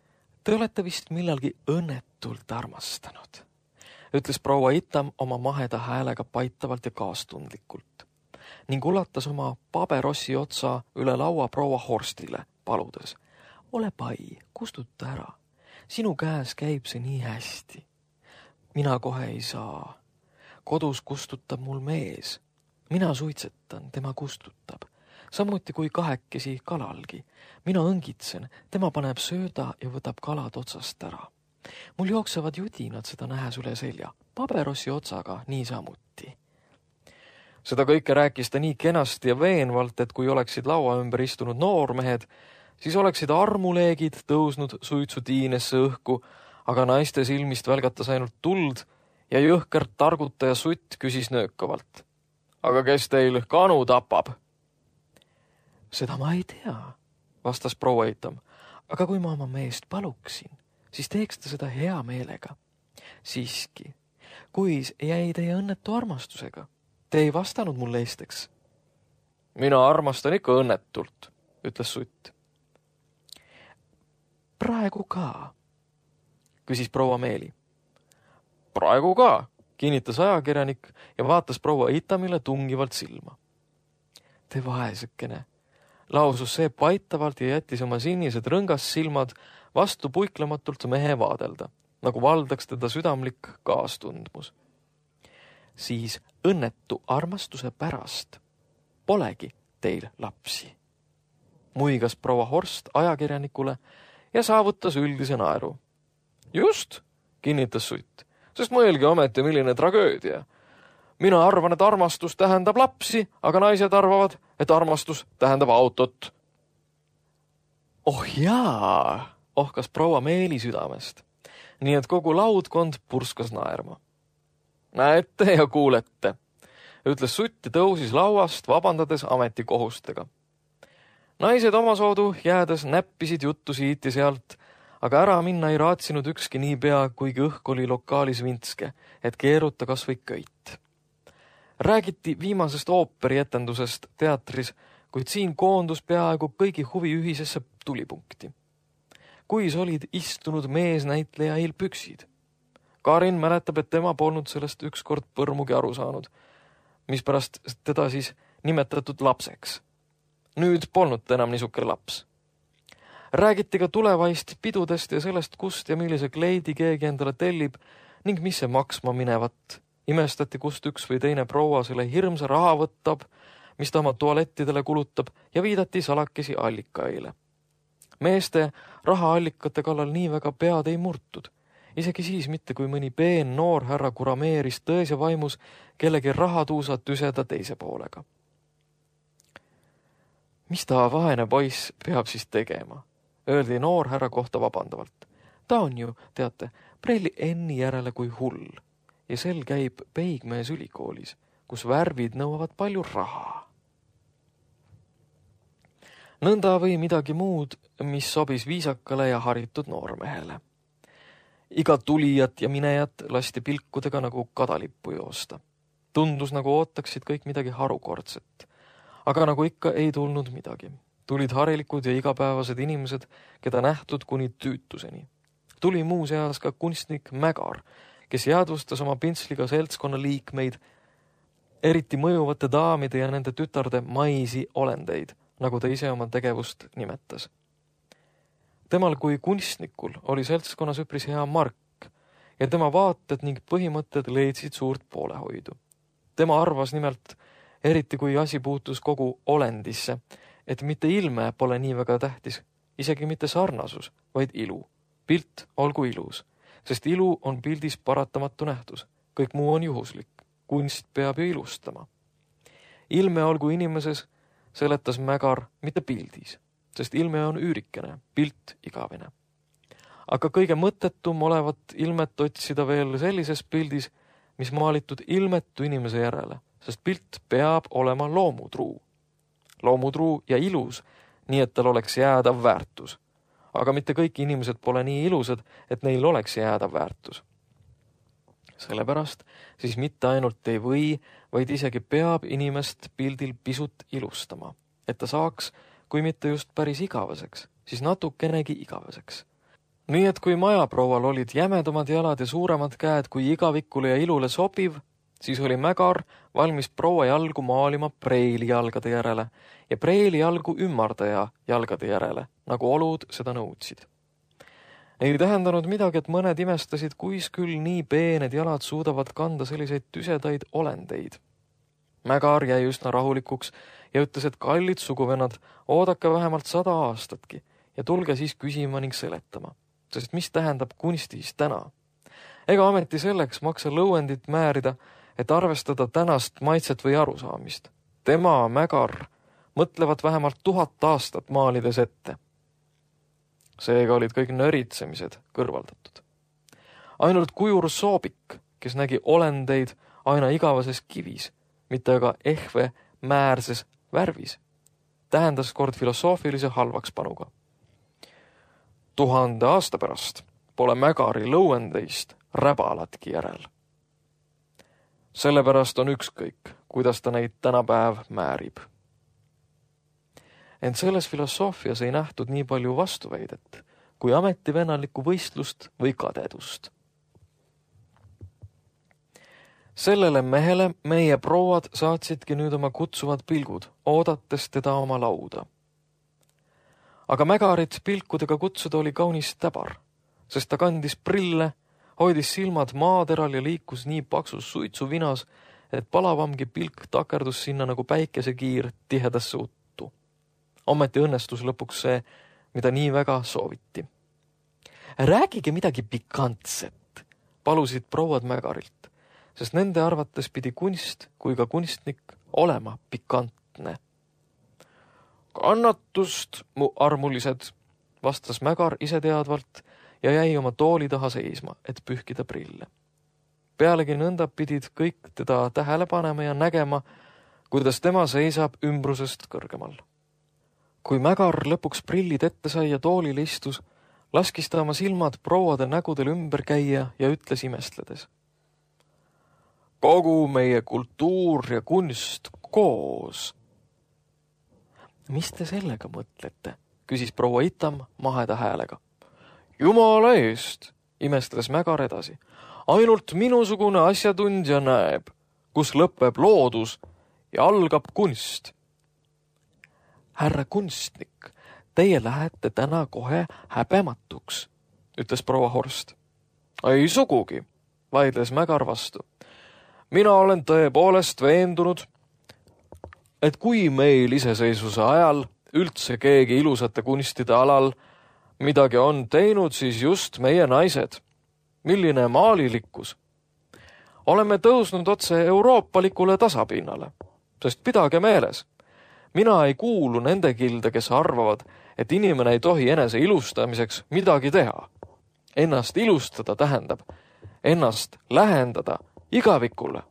te olete vist millalgi õnnetult armastanud, ütles proua Itam oma maheda häälega paitavalt ja kaastundlikult ning ulatas oma paberossi otsa üle laua proua Horstile, paludes. Ole pai, kustuta ära. Sinu käes käib see nii hästi. Mina kohe ei saa. Kodus kustutab mul mees. Mina suitsetan, tema kustutab. Samuti kui kahekesi kalalgi. Mina õngitsen, tema paneb sööda ja võtab kalad otsast ära. Mul jooksevad judinad seda nähes üle selja. Paberossi otsaga nii samuti. Seda kõike rääkis ta nii kenasti ja veenvalt, et kui oleksid laua ümber istunud noormehed, siis oleksid armuleegid tõusnud suitsutiinesse õhku, aga naiste silmist välgatas ainult tuld ja jõhkert targutaja Sutt küsis nöökavalt. Aga kes teil kanu tapab? Seda ma ei tea, vastas proua Itam, aga kui ma oma meest paluksin, siis teeks ta seda hea meelega. Siiski, kuis jäi teie õnnetu armastusega? Te ei vastanud mulle eesteks. Mina armastan ikka õnnetult, ütles Sutt. Praegu ka, küsis proua Meeli. Praegu ka, kinnitas ajakirjanik ja vaatas proua Itamile tungivalt silma. Te vaesekene, lausus see paitavalt ja jättis oma sinised rõngas silmad vastu puiklematult mehe vaadelda, nagu valdaks teda südamlik kaastundmus. Siis õnnetu armastuse pärast polegi teil lapsi, muigas proua Horst ajakirjanikule ja saavutas üldise naeru. Just, kinnitas Sutt, sest mõelge ometi, milline tragöödia. Mina arvan, et armastus tähendab lapsi, aga naised arvavad, et armastus tähendab autot. Oh jaa, ohkas proua Meeli südamest, nii et kogu laudkond purskas naerma. Näete ja kuulete, ütles sutt ja tõusis lauast, vabandades ametikohustega. Naised omasoodu jäädes näppisid juttu siit ja sealt, aga ära minna ei raatsinud ükski niipea, kuigi õhk oli lokaalis vintske, et keeruta kas või köit. Räägiti viimasest ooperietendusest teatris, kuid siin koondus peaaegu kõigi huvi ühisesse tulipunkti. Kuis olid istunud meesnäitlejail püksid. Karin mäletab, et tema polnud sellest ükskord põrmugi aru saanud, mispärast teda siis nimetatud lapseks. Nüüd polnud ta enam niisuke laps. Räägiti ka tulevaist pidudest ja sellest, kust ja millise kleidi keegi endale tellib ning mis see maksma minevat. Imestati, kust üks või teine proua selle hirmsa raha võtab, mis ta oma tualettidele kulutab ja viidati salakesi allikaile. Meeste rahaallikate kallal nii väga pead ei murtud. Isegi siis mitte, kui mõni peen noor härra kurameeris tões ja vaimus kellegi rahatuusa tüseda teise poolega. Mis ta vaene poiss peab siis tegema? Öeldi noor härra kohta vabandavalt. Ta on ju, teate, prelli enni järele kui hull ja sel käib Peigmees ülikoolis, kus värvid nõuavad palju raha. Nõnda või midagi muud, mis sobis viisakale ja haritud noormehele. Iga tulijat ja minejat lasti pilkudega nagu kadalippu joosta. Tundus nagu ootaksid kõik midagi harukordset. Aga nagu ikka ei tulnud midagi. Tulid harilikud ja igapäevased inimesed, keda nähtud kuni tüütuseni. Tuli muu seas ka kunstnik Mägar, kes jäädvustas oma pintsliga seltskonna liikmeid, eriti mõjuvate daamide ja nende tütarde maisi olendeid, nagu ta ise oma tegevust nimetas. Temal kui kunstnikul oli seltskonnas üpris hea mark ja tema vaated ning põhimõtted leidsid suurt poolehoidu. Tema arvas nimelt, eriti kui asi puutus kogu olendisse, et mitte ilme pole nii väga tähtis, isegi mitte sarnasus, vaid ilu. Pilt olgu ilus, sest ilu on pildis paratamatu nähtus. Kõik muu on juhuslik. Kunst peab ju ilustama. Ilme olgu inimeses, seletas Mägar, mitte pildis, sest ilme on üürikene, pilt igavene. Aga kõige mõttetum olevat ilmet otsida veel sellises pildis, mis maalitud ilmetu inimese järele, sest pilt peab olema loomutruu. Loomutruu ja ilus, nii et tal oleks jäädav väärtus. Aga mitte kõik inimesed pole nii ilusad, et neil oleks jäädav väärtus. Sellepärast siis mitte ainult ei või, vaid isegi peab inimest pildil pisut ilustama, et ta saaks, kui mitte just päris igaveseks, siis natukenegi igaveseks. Nii et kui majaproual olid jämedamad jalad ja suuremad käed kui igavikule ja ilule sobiv, siis oli Mägar valmis proua jalgu maalima preili jalgade järele ja preili jalgu ümmardaja jalgade järele, nagu olud seda nõudsid. Ei tähendanud midagi, et mõned imestasid, kuis küll nii peened jalad suudavad kanda selliseid tüsedaid olendeid. Mägar jäi üsna rahulikuks ja ütles, et kallid suguvennad, oodake vähemalt 100 aastatki ja tulge siis küsima ning seletama, sest mis tähendab kunstis täna? Ega ameti selleks maksa lõuendit määrida, et arvestada tänast maitset või arusaamist. Tema, Mägar, mõtlevad vähemalt 1000 aastat maalides ette. Seega olid kõik nöritsemised kõrvaldatud. Ainult kujur Soobik, kes nägi olendeid aina igavases kivis, mitte aga ehve määrses värvis, tähendas kord filosoofilise halvakspanuga. 1000 aasta pärast pole Mägari lõuendeist räbalatki järel. Sellepärast on ükskõik, kuidas ta neid tänapäev määrib. Ent selles filosoofias ei nähtud nii palju vastuväidet kui ametivennaliku võistlust või kadedust. Sellele mehele meie prouad saatsidki nüüd oma kutsuvad pilgud, oodates teda oma lauda. Aga Mägarit pilkudega kutsuda oli kaunis täbar, sest ta kandis prille, hoidis silmad maateral ja liikus nii paksus suitsuvinas, et palavamgi pilk takerdus sinna nagu päikesekiir tihedasse uttu. Ometi õnnestus lõpuks see, mida nii väga sooviti. Räägige midagi pikantset, palusid prouad Mägarilt, sest nende arvates pidi kunst kui ka kunstnik olema pikantne. Kannatust, mu armulised, vastas Mägar iseteadvalt ja jäi oma tooli taha seisma, et pühkida prille. pealegi nõnda pidid kõik teda tähele panema ja nägema, kuidas tema seisab ümbrusest kõrgemal. Kui Mägar lõpuks prillid ette sai ja toolil istus, laskis ta oma silmad prouade nägudel ümber käia ja ütles imestledes. Kogu meie kultuur ja kunst koos. Mis te sellega mõtlete? Küsis proua Itam maheda häälega. Jumala eest, imestles Mägar edasi. Ainult minusugune asjatundja näeb, kus lõpeb loodus ja algab kunst. Härra kunstnik, teie lähete täna kohe häbematuks, ütles proua Horst. Ei sugugi, vaidles Mägar vastu. Mina olen tõepoolest veendunud, et kui meil iseseisvuse ajal üldse keegi ilusate kunstide alal midagi on teinud, siis just meie naised. Milline maalilikkus. Oleme tõusnud otse euroopalikule tasapinnale, sest pidage meeles. Mina ei kuulu nende kilde, kes arvavad, et inimene ei tohi enese ilustamiseks midagi teha. Ennast ilustada tähendab ennast lähendada igavikule.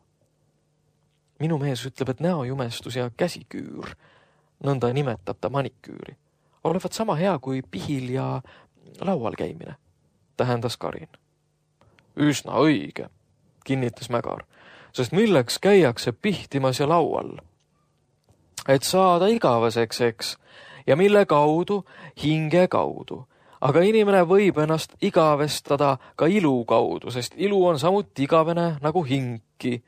Minu mees ütleb, et näojumestus ja käsiküür, nõnda nimetab ta maniküüri, olevat sama hea kui pihil ja laual käimine, tähendas Karin. Üsna õige, kinnitas Mägar, sest milleks käiakse pihtimas ja laual? Et saada igaveseks, eks, ja mille kaudu, hinge kaudu. Aga inimene võib ennast igavestada ka ilu kaudu, sest ilu on samuti igavene nagu hingki.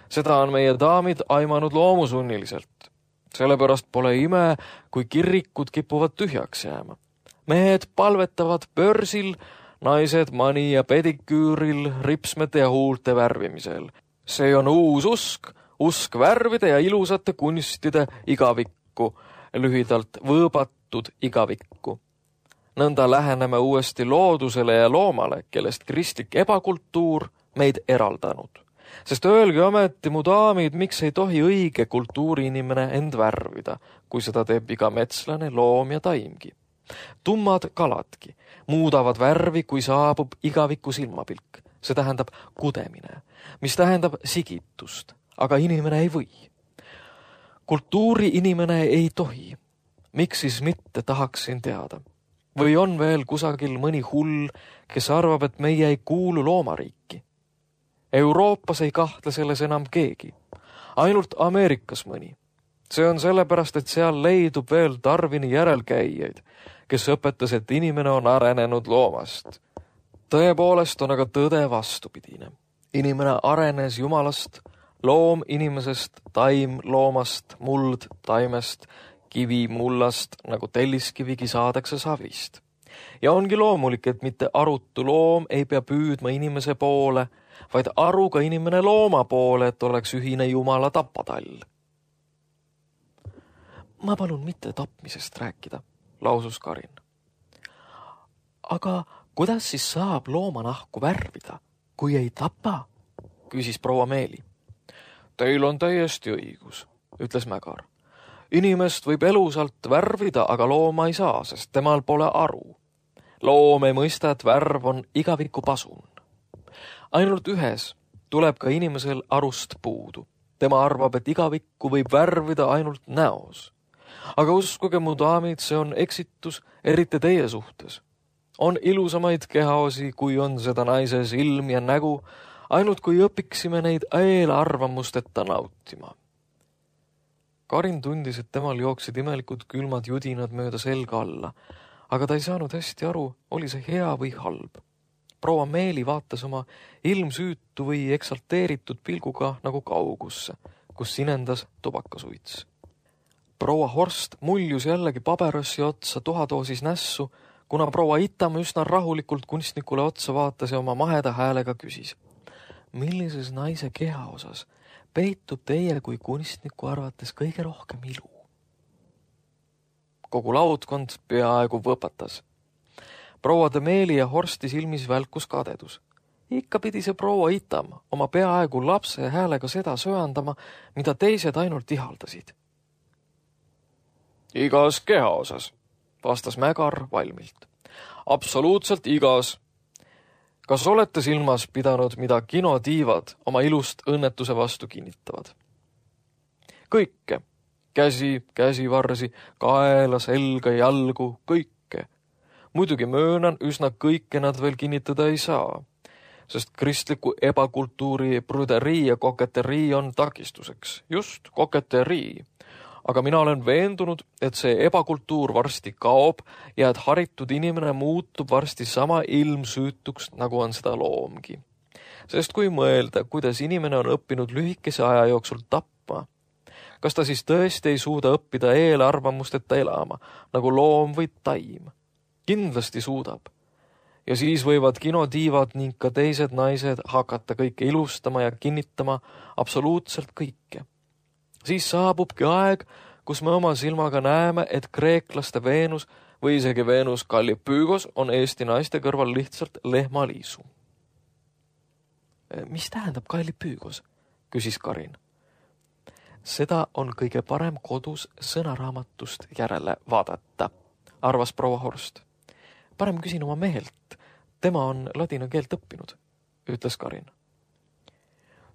Seda on meie daamid aimanud loomusunniliselt. Sellepärast pole ime, kui kirikud kipuvad tühjaks jääma. Mehed palvetavad börsil, naised mani- ja pediküüril, ripsmete ja huulte värvimisel. See on uus usk värvide ja ilusate kunstide igavikku, lühidalt võõbatud igavikku. Nõnda läheneme uuesti loodusele ja loomale, kellest kristlik ebakultuur meid eraldanud. Sest öelge ometi, mu daamid, miks ei tohi õige kultuuriinimene end värvida, kui seda teeb iga metslane, loom ja taimgi. Tummad kaladki muudavad värvi, kui saabub igaviku silmapilk. See tähendab kudemine, mis tähendab sigitust, aga inimene ei või. Kultuuri inimene ei tohi. Miks siis mitte tahaksin teada? Või on veel kusagil mõni hull, kes arvab, et meie ei kuulu loomariiki? Euroopas ei kahtle selles enam keegi. Ainult Ameerikas mõni. See on sellepärast, et seal leidub veel Darwini järelkäijaid, kes õpetas, et inimene on arenenud loomast. Tõepoolest on aga tõde vastupidine. Inimene arenes jumalast, loom inimesest, taim loomast, muld taimest, kivi mullast, nagu telliskivigi saadakse savist. Ja ongi loomulik, et mitte arutu loom ei pea püüdma inimese poole, vaid aruga inimene looma poole, et oleks ühine jumala tapatall. Ma palun mitte tapmisest rääkida, lausus Karin. Aga kuidas siis saab loomanahku värvida, kui ei tapa? Küsis proua Meeli. Teil on täiesti õigus, ütles Mägar. Inimest võib elusalt värvida, aga looma ei saa, sest temal pole aru. Loom ei mõista, et värv on igaviku pasun. Ainult ühes tuleb ka inimesel arust puudu. Tema arvab, et igavikku võib värvida ainult näos. Aga uskuge, mu daamid, see on eksitus, eriti teie suhtes. On ilusamaid kehaosi, kui on seda naise silm ja nägu, ainult kui õpiksime neid eelarvamusteta nautima. Karin tundis, et temal jooksid imelikud külmad judinad mööda selga alla, aga ta ei saanud hästi aru, oli see hea või halb. Proua Meeli vaatas oma ilmsüütu või eksalteeritud pilguga nagu kaugusse, kus sinendas tubakasuits. Proua Horst muljus jällegi paberossi otsa tuhadoosis nässu, kuna proua Itam üsna rahulikult kunstnikule otsa vaatas ja oma maheda häälega küsis. Millises naise keha osas peitub teie kui kunstniku arvates kõige rohkem ilu? Kogu laudkond peaaegu võpatas. Proua de Meeli ja Horsti silmis välkus kadedus. Ikka pidi see proua Itam oma peaaegu lapse häälega seda söandama, mida teised ainult ihaldasid. Igas keha osas, vastas Mägar valmilt. Absoluutselt igas. kas olete silmas pidanud, mida kinotiivad oma ilust õnnetuse vastu kinnitavad? Kõike. Käsi, käsivarsi, kaela, selga, jalgu, kõike. Muidugi möönan, üsna kõike nad veel kinnitada ei saa, sest kristliku ebakultuuri pruderii ja koketerii on takistuseks. Just, koketerii. Aga mina olen veendunud, et see ebakultuur varsti kaob ja et haritud inimene muutub varsti sama ilmsüütuks, nagu on seda loomgi. Sest kui mõelda, kuidas inimene on õppinud lühikese aja jooksul tapma, kas ta siis tõesti ei suuda õppida eelarvamusteta elama, nagu loom või taim? Kindlasti suudab. Ja siis võivad kinotiivad ning ka teised naised hakata kõike ilustama ja kinnitama absoluutselt kõike. Siis saabubki aeg, kus me oma silmaga näeme, et kreeklaste Veenus või isegi Veenus Kallipygos on Eesti naiste kõrval lihtsalt lehmaliisu. Mis tähendab Kallipygos? Küsis Karin. Seda on kõige parem kodus sõnaraamatust järele vaadata, arvas proua Horst. Parem küsin oma mehelt, tema on ladina keelt õppinud, ütles Karin.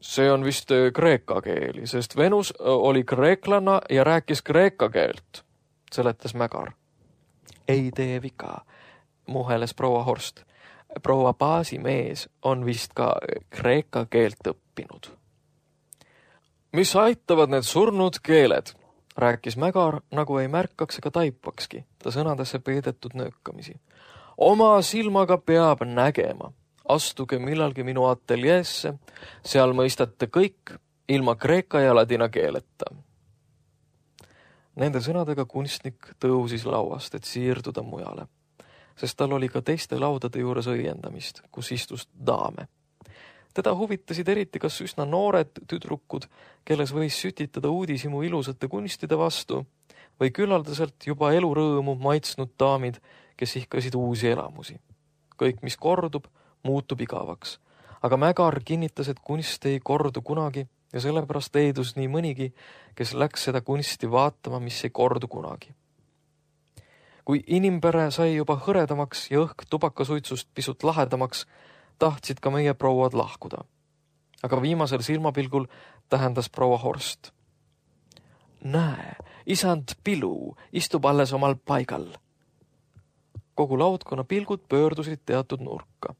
See on vist kreeka keeli, sest Venus oli kreeklanna ja rääkis kreeka keelt, seletas Mägar. Ei tee viga, muheles proua Horst. Proua baasimees on vist ka kreeka keelt õppinud. Mis aitavad need surnud keeled, rääkis Mägar, nagu ei märkaks ega taipakski ta sõnadesse peidetud nöökamisi. Oma silmaga peab nägema. Astuge millalgi minu ateljeesse, seal mõistate kõik ilma kreeka ja ladina keeleta. Nende sõnadega kunstnik tõusis lauast, et siirduda mujale, sest tal oli ka teiste laudade juures õiendamist, kus istus daame. Teda huvitasid eriti kas üsna noored tüdrukud, kelles võis sütitada uudishimu ilusate kunstide vastu, või küllaldaselt juba elurõõmu maitsnud daamid, kes ihkasid uusi elamusi. Kõik, mis kordub, muutub igavaks. Aga Mägar kinnitas, et kunst ei kordu kunagi ja sellepärast leidus nii mõnigi, kes läks seda kunsti vaatama, mis ei kordu kunagi. Kui inimpere sai juba hõredamaks ja õhk tubakasuitsust pisut lahedamaks, tahtsid ka meie prouad lahkuda. Aga viimasel silmapilgul tähendas proua Horst. Näe, isand Pilu istub alles omal paigal. Kogu laudkonna pilgud pöördusid teatud nurka.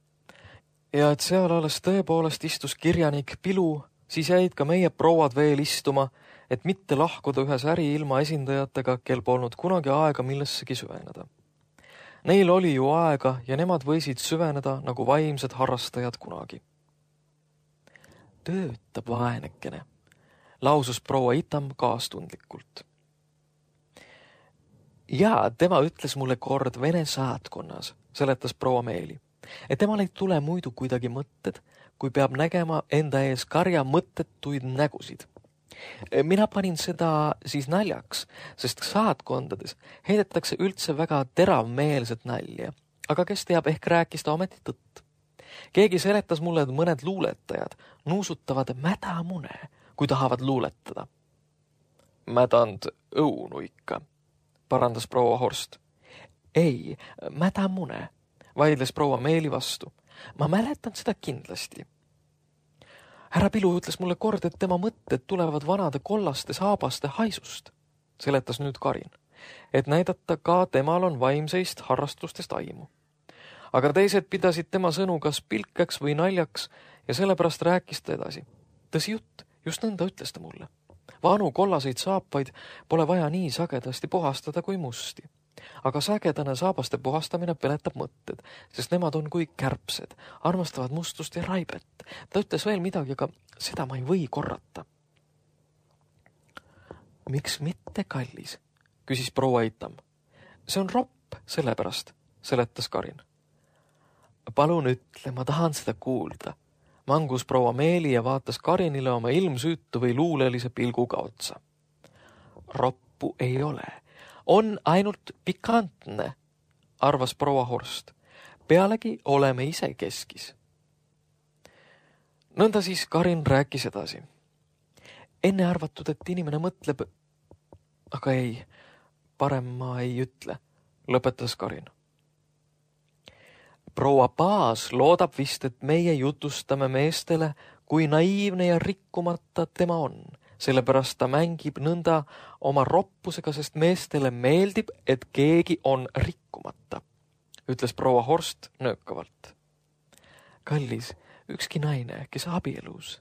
Ja et seal alles tõepoolest istus kirjanik Pilu, siis jäid ka meie prouad veel istuma, et mitte lahkuda ühes äriilma esindajatega, kel polnud kunagi aega millessegi süveneda. Neil oli ju aega ja nemad võisid süveneda nagu vaimsed harrastajad kunagi. Töötab vaenekene, lausus proua Itam kaastundlikult. Ja tema ütles mulle kord Vene saatkonnas, seletas proua Meeli, et temal ei tule muidu kuidagi mõtted, kui peab nägema enda ees karja mõttetuid nägusid. Mina panin seda siis naljaks, sest saatkondades heidetakse üldse väga teravmeelset nalja, aga kes teab, ehk rääkis ta ometi tõtt. Keegi seletas mulle, et mõned luuletajad nuusutavad mädamune, kui tahavad luuletada. Mädand õunu ikka, parandas proua Horst. Ei, mädamune, vaidles proua Meeli vastu. Ma mäletan seda kindlasti. Härra Pilu ütles mulle kord, et tema mõtted tulevad vanade kollaste saabaste haisust, seletas nüüd Karin, et näidata ka temal on vaimseist harrastustest aimu. Aga teised pidasid tema sõnu kas pilkeks või naljaks ja sellepärast rääkis ta edasi. Tõsi jutt, just nõnda ütles ta mulle. Vanu kollaseid saapaid pole vaja nii sagedasti puhastada kui musti. Aga sagedane saabaste puhastamine peletab mõtted, sest nemad on kui kärbsed, armastavad mustust ja raibet. Ta ütles veel midagi, aga seda ma ei või korrata. Miks mitte, kallis? Küsis proua Itam. See on ropp, sellepärast, seletas Karin. Palun ütle, ma tahan seda kuulda. Mangus proua Meeli ja vaatas Karinile oma ilmsüütu või luulelise pilguga otsa. Roppu ei ole. On ainult pikantne, arvas proua Horst. Pealegi oleme ise keskis. Nõnda siis Karin rääkis edasi. Enne arvatud, et inimene mõtleb, aga ei, parem ma ei ütle, lõpetas Karin. proua Paas loodab vist, et meie jutustame meestele, kui naiivne ja rikkumata tema on. Sellepärast ta mängib nõnda oma roppusega, sest meestele meeldib, et keegi on rikkumata, ütles proua Horst nöökavalt. Kallis, ükski naine, kes abielus,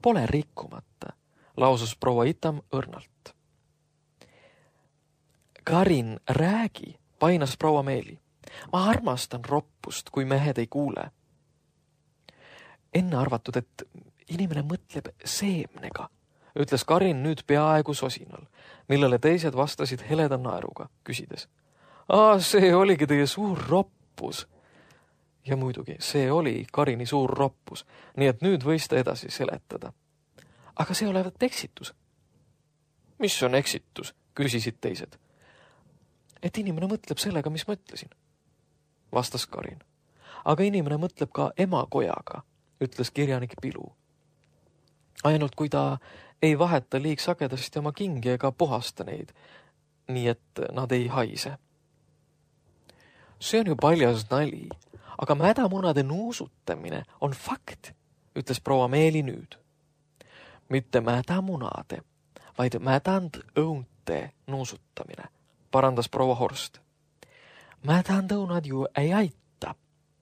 pole rikkumata, lausus proua Itam õrnalt. Karin, räägi, painas proua Meeli. Ma armastan roppust, kui mehed ei kuule. Enne arvatud, et inimene mõtleb seemnega, ütles Karin nüüd peaaegu sosinal, millele teised vastasid heleda naeruga, küsides. See oligi teie suur roppus. Ja muidugi, see oli Karini suur roppus, nii et nüüd võis ta edasi seletada. Aga see olevat eksitus. Mis on eksitus, küsisid teised. Et inimene mõtleb sellega, mis ma ütlesin, vastas Karin. Aga inimene mõtleb ka emakojaga, ütles kirjanik Pilu. Ainult kui ta ei vaheta liig sagedasti oma kingi ega puhasta neid, nii et nad ei haise. See on ju paljas nali, aga mädamunade nuusutamine on fakt, ütles proua Meeli nüüd. Mitte mädamunade, vaid mädandõunte nuusutamine, parandas proua Horst. Mädandõunad ju ei aita,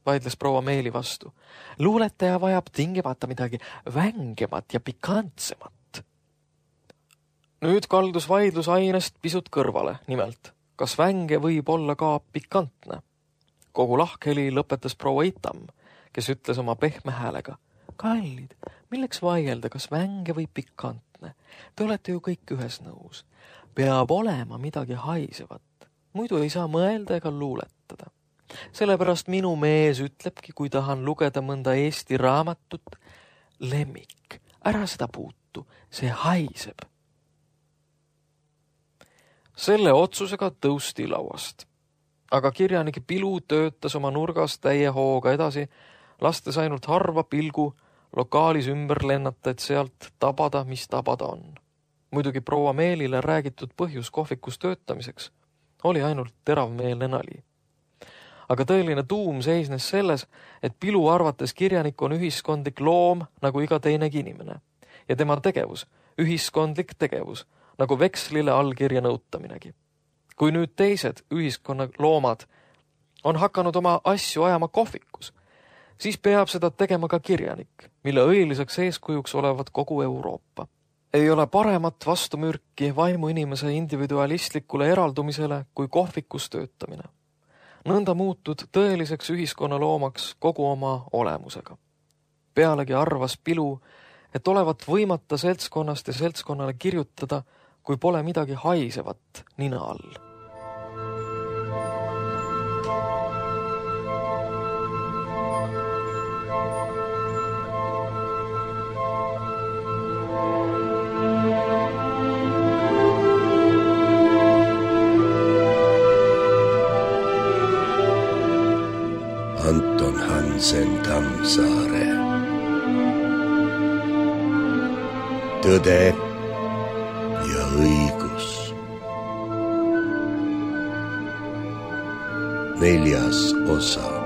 vaidles proua Meeli vastu. Luuletaja vajab tingimata midagi vängemat ja pikantsemat. Nüüd kaldus vaidlus ainest pisut kõrvale, nimelt, kas vänge võib olla ka pikantne? Kogu lahkheli lõpetas proua Itam, kes ütles oma pehme häälega. Kallid, milleks vaielda, kas vänge või pikantne? Te olete ju kõik ühes nõus. Peab olema midagi haisevat. Muidu ei saa mõelda ega luuletada. Sellepärast minu mees ütlebki, kui tahan lugeda mõnda Eesti raamatut, lemmik, ära seda puutu, see haiseb. Selle otsusega tõusti lauast. Aga kirjanik Pilu töötas oma nurgas täie hooga edasi, lastes ainult harva pilgu lokaalis ümber lennata, et sealt tabada, mis tabada on. Muidugi proua Meelile räägitud põhjus kohvikus töötamiseks oli ainult teravmeelne nali. Aga tõeline tuum seisnes selles, et Pilu arvates kirjanik on ühiskondlik loom nagu iga teinegi inimene ja tema tegevus, ühiskondlik tegevus, nagu vekslile allkirja nõutaminegi. Kui nüüd teised ühiskonna loomad on hakanud oma asju ajama kohvikus, siis peab seda tegema ka kirjanik, mille õiliseks eeskujuks olevat kogu Euroopa. Ei ole paremat vastumürki vaimu inimese individualistlikule eraldumisele kui kohvikus töötamine. Nõnda muutud tõeliseks ühiskonnaloomaks kogu oma olemusega. Pealegi arvas Pilu, et olevat võimata seltskonnast ja seltskonnale kirjutada, kui pole midagi haisevat nina all. Anton Hansen Tammsaare. Tõde ja õigus. 4. osa.